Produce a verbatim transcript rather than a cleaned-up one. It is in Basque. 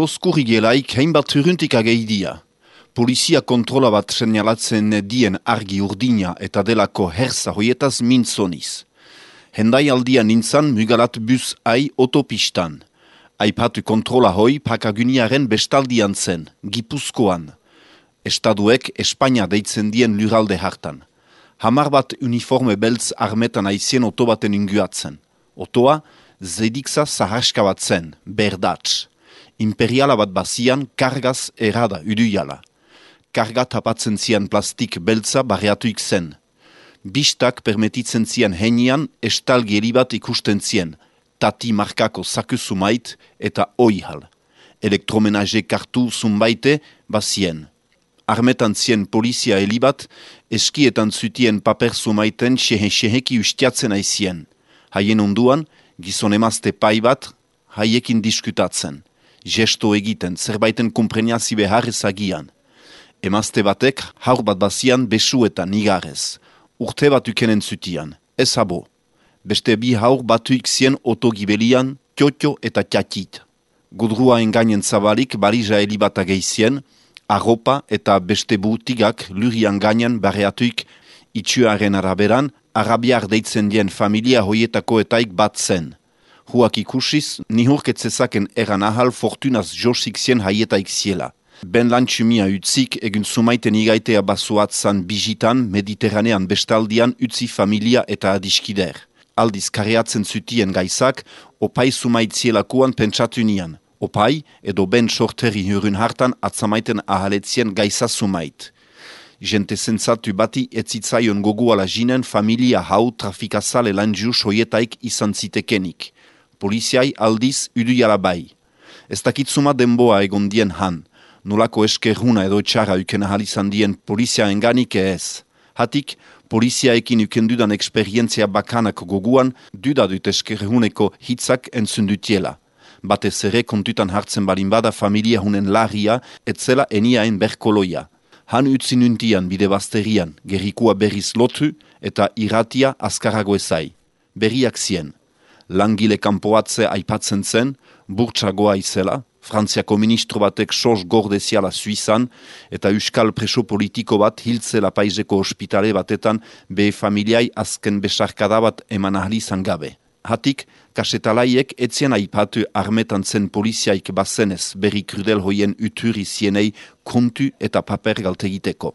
datoz kurrigelaik hainbat huruntik ageidia. Polizia kontrola bat senalatzen dien argi urdina eta delako herza hoietaz mintzoniz. Hendai aldia nintzan mugalat bus ai otopistan. Aipatu kontrola hoi pakaguniaren bestaldian zen, Gipuzkoan. Estaduek Espainia deitzen dien luralde hartan. Hamar bat uniforme beltz armetan aizien oto baten inguatzen. Otoa, zedikza zaharska bat zen, berdats. Imperiala bat bazian, kargaz erada uduiala. Karga tapatzen zian plastik beltza barriatuik zen. Bistak permetitzen zian henian estalgieri bat ikusten zien, tati markako saku sumait eta oihal. Elektromenage kartu zumbaite bazien. Armetan zien polizia helibat, eskietan zutien paper sumaiten sehe-seheki ustiatzen aizien. Haien onduan, gizon emazte pai bat, haiekin diskutatzen. Gesto egiten, zerbaiten kompreniazi behar ezagian. Emazte batek, haur bat bazian besuetan igarez. Urte bat ukenen zutian, ez abo. Beste bi haur batuik zien otogibelian, tiotio eta tiatit. Gudrua engainen zabalik barija helibat ageizien, arropa eta beste butigak lurian gainen barreatuik itxuaren araberan, arabiar deitzen dien familia hoietako etaik bat zen. Huak ikusiz, nihurketzezaken eran ahal fortunaz josik zien haietaik ziela. Ben lantxumia utzik egun sumaiten igaitea basuatzan bijitan mediterranean bestaldian utzi familia eta adiskider. Aldiz kareatzen zutien gaizak, opai sumaitzielakuan pentsatu nian. Opai edo ben sorteri hurun hartan atzamaiten ahaletzien gaiza sumait. Jente zentzatu bati etzitzaion goguala jinen familia hau trafikazale lanjus hoietaik izan zitekenik. Poliziai aldiz uduiala bai. Ez dakitzuma denboa egon dien han. Nolako eskerruna edo txara uken ahal izan dien polizia enganik ez. Hatik, poliziaekin ukendudan eksperientzia bakanak goguan, dudadut eskerruneko hitzak entzundutiela. Batez ere kontutan hartzen balin bada familia hunen larria, etzela eniaen berkoloia. Han utzi nuntian bide basterian, gerrikua berriz lotu eta irratia azkarago ezai. Berriak zien. Langile kanpoatze aipatzen zen, burtsagoa izela, Frantziako ministro batek sos gordeziala Suizan eta euskal preso politiko bat hiltzela paizeko ospitale batetan be familiai azken besarkada bat eman ahalizan gabe. Hatik, kasetalaiek etzien aipatu armetan zen poliziaik bazenez berri krudel hoien uturi zienei kontu eta paper galtegiteko.